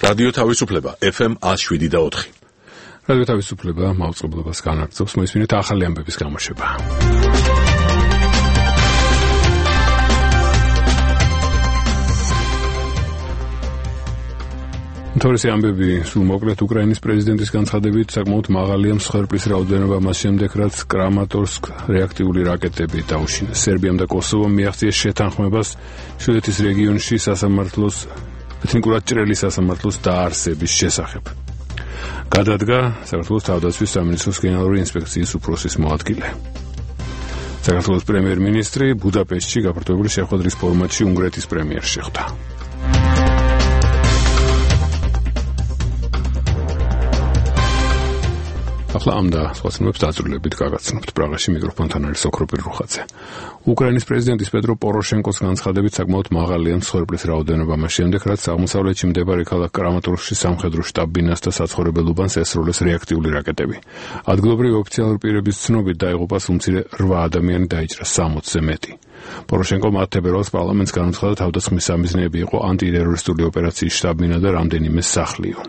რადიო თავისუფლება FM 107.4. რადიო თავისუფლება მაუწყებლობას განაგრძობს, მოისმინეთ ახალი ამბების გამოშვება. თორსი ამბები სულ მოკლედ უკრაინის პრეზიდენტის განცხადებით საკმაოდ მაღალია მსხვერპლის რაოდენობა მას შემდეგ, რაც კრამატორსკ რეაქტიული რაკეტები დაუშინეს. სერბიამ და კოსოვომ მიაღწიეს შეთანხმებას შვედეთის რეგიონში სასამართლოს ეთნიკურად ჭრელი სასამართლოს დაარსების შესახებ. გადადგა საქართველოს თავდაცვის სამინისტროს გენერალური ინსპექციის უფროსის მოადგილე. საქართველოს პრემიერ-მინისტრი ბუდაპეშტში გაფართოებული შეხვედრის ფორმატში უნგრეთის პრემიერს შეხვდა. ახლა ამ და სხვა ცნობებს დაწვრილებით გაგაცნობთ. პრაღაში მიკროფონთან არის ოქროპირ რუხაძე. უკრაინის პრეზიდენტის პეტრო პოროშენკოს განცხადებით საკმაოდ მაღალია მსხვერპლის რაოდენობა მას შემდეგ, რაც აღმოსავლეთში მდებარე ქალაქ კრამატორსკში სამხედრო შტაბ-ბინას და საცხოვრებელ უბანს ესროლეს რეაქტიული რაკეტები. ადგილობრივი ოფიციალური პირების ცნობით დაიღუპა უმცირე 8 ადამიანი დაიჭრა 60-ზე მეტი. პოროშენკომ 10 თებერვალს პარლამენტს განუცხადა თავდასხმის სამიზნეები იყო ანტიტერორისტული ოპერაციის შტაბ-ბინა და რამდენიმე სახლიო.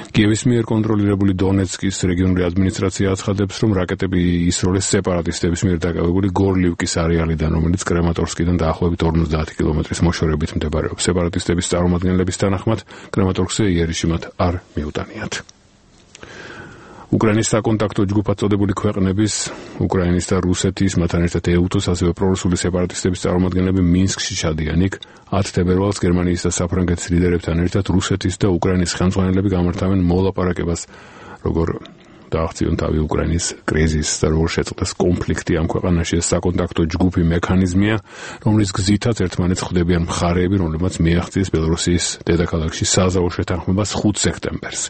კიევის მიერ კონტროლირებული დონეცკის რეგიონული ადმინისტრაცია აცხადებს, რომ რაკეტები ისროლეს სეპარატისტების მიერ დაკავებული გორლივკის არეალიდან, რომელიც კრამატორსკიდან დაახლოებით 50 კილომეტრის მოშორებით მდებარეობს. სეპარატისტების წარმომადგენლების თანახმად, კრამატორსკზე იერიში მათ არ მიუტანიათ. უკრაინის საკონტაქტო ჯგუფად წოდებული ქვეყნების, უკრაინის და რუსეთის, მათთან ერთად ეუთოს, ასევე პრორუსული სეპარატისტების წარმომადგენლები მინსკში ჩადიან. იქ 10 თებერვალს გერმანიის და საფრანგეთის ლიდერებთან ერთად რუსეთის და უკრაინის ხელმძღვანელები გამართავენ მოლაპარაკებას, როგორ დააღწიონ თავი უკრაინის კრიზისს და როგორ შეწყდეს კონფლიქტი ამ ქვეყანაში. ეს საკონტაქტო ჯგუფი მექანიზმია, რომლის გზითაც ერთმანეთს ხვდებიან მხარეები, რომლებმაც მიაღწიეს ბელორუსიის დედაქალაქში საზავო შეთანხმებას 5 სექტემბერს.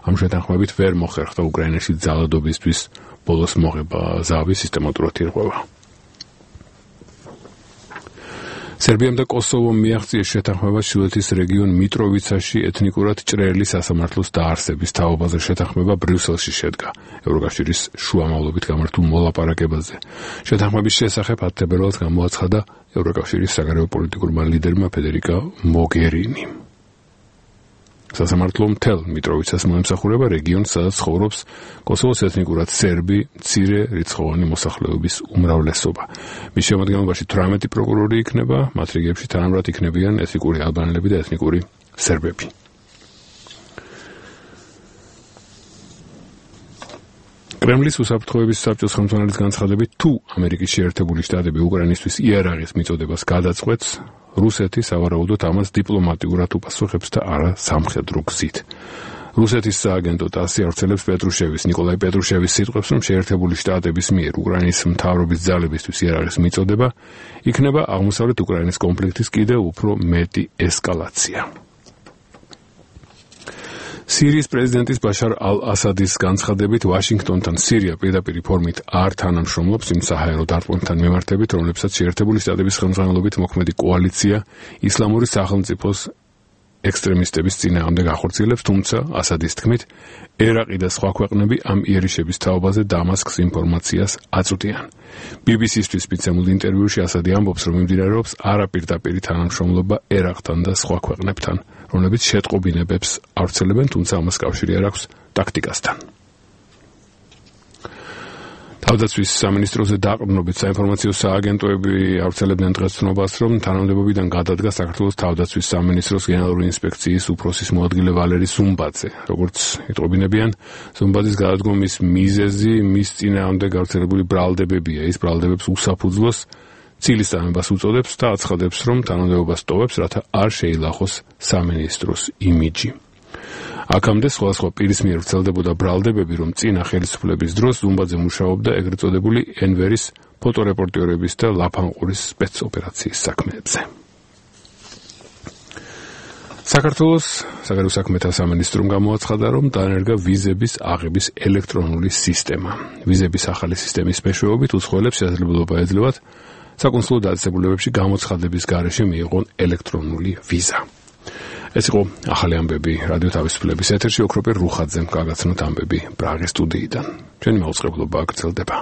ამ შეთანხმებით ვერ მოხერხდა უკრაინაში ძალადობისთვის ბოლოს მოღება, ზავი სისტემატურად ირღვევა. სერბიამ და კოსოვომ მიაღწიეს შეთანხმებას შვედეთის რეგიონ მიტროვიცაში ეთნიკურად ჭრელი სასამართლოს დაარსების თაობაზე. შეთანხმება ბრიუსელში შედგა ევროკავშირის შუამავლობით გამართულ მოლაპარაკებაზე. შეთანხმების შესახებ 10 თებერვალს გამოაცხადა ევროკავშირის საგარეო პოლიტიკურმა ლიდერმა ფედერიკა მოგერინი. სასამართლო მთელ მიტროვიცას მოემსახურება რეგიონს, სადაც ცხოვრობს კოსოვოს ეთნიკურად სერბი მცირე რიცხოვანი მოსახლეობის უმრავლესობა. მის შემადგენლობაში 18 პროკურორი იქნება, მათ რიგებში თანაბრად იქნებიან ეთნიკური ალბანელები და ეთნიკური სერბები. კრემლის უსაფრთხოების საბჭოს ხელმძღვანელის განცხადებით, თუ ამერიკის შეერთებული შტატები უკრაინისთვის იარაღის მიწოდებას გადაწყვეტს, რუსეთი სავარაუდოდ ამას დიპლომატიურად უპასუხებს და არა სამხედრო გზით. რუსეთის სააგენტო ტასი ავრცელებს ნიკოლაი პეტრუშევის სიტყვებს, რომ შეერთებული შტატების მიერ უკრაინის მთავრობის ძალებისთვის იარაღის მიწოდება იქნება აღმოსავლეთ უკრაინის კონფლიქტის კიდევ უფრო მეტი ესკალაცია. სირიის პრეზიდენტის ბაშარ ალ-ასადის განცხადებით, ვაშინგტონთან სირია პირდაპირ ფორმით არ თანამშრომლობს იმ საჰაერო დარტყმებთან მიმართებით, რომლებსაც შეერთებული შტატების ხელმძღვანელობით მოქმედი კოალიცია ისლამური სახელმწიფოს ექსტრემისტების წინააღმდეგ ახორციელებს, თუმცა ასადის თქმით, ერაყი და სხვა ქვეყნები ამ იერიშების თაობაზე დამასკს ინფორმაციას აწვდიან. BBC-ისთვის მიცემულ ინტერვიუში ასადი ამბობს, რომ მიმდინარეობს არაპირდაპირი თანამშრომლობა ერაყთან და სხვა ქვეყნებთან, რომლებიც შეტყობინებებს ავრცელებენ, თუმცა ამას კავშირი არ აქვს ტაქტიკასთან. თავდაცვის სამინისტროზე დაყრდნობით საინფორმაციო სააგენტოები ავრცელებდნენ დღეს ცნობას, რომ თანამდებობიდან გადადგა საქართველოს თავდაცვის სამინისტროს გენერალური ინსპექციის უფროსის მოადგილე ვალერი ზუმბაძე. როგორც იტყობინებიან, ზუმბაძის გადადგომის მიზეზი მის წინააღმდეგ გავრცელებული ბრალდებებია. ის ბრალდებებს უსაფუძვლოს ცილის წამებას უწოდებს და აცხადებს, რომ თანამდებობას ტოვებს, რათა არ შეილახოს სამინისტროს იმიჯი. აქამდე სხვადასხვა პირის მიერ ვრცელდებოდა ბრალდებები, რომ წინა ხელისუფლების დროს ზუმბაძე მუშაობდა ეგრეთ წოდებული ენვერის ფოტორეპორტიორების და ლაფანყურის სპეცოპერაციის საქმეებზე. საქართველოს საგარეო საქმეთა სამინისტრომ გამოაცხადა, რომ დაანერგა ვიზების აღების ელექტრონული სისტემა. ვიზების ახალი სისტემის მეშვეობით უცხოელებს შესაძლებლობა ეძლევათ საკონსულო დაწესებულებებში გამოცხადების გარეშე მიიღონ ელექტრონული ვიზა. ეს იყო ახალი ამბები რადიო თავისუფლების ეთერში ოქროპირ რუხაძემ გაგაცნოთ ამბები პრაღის სტუდიიდან. ჩვენი მაუწყებლობა გრძელდება.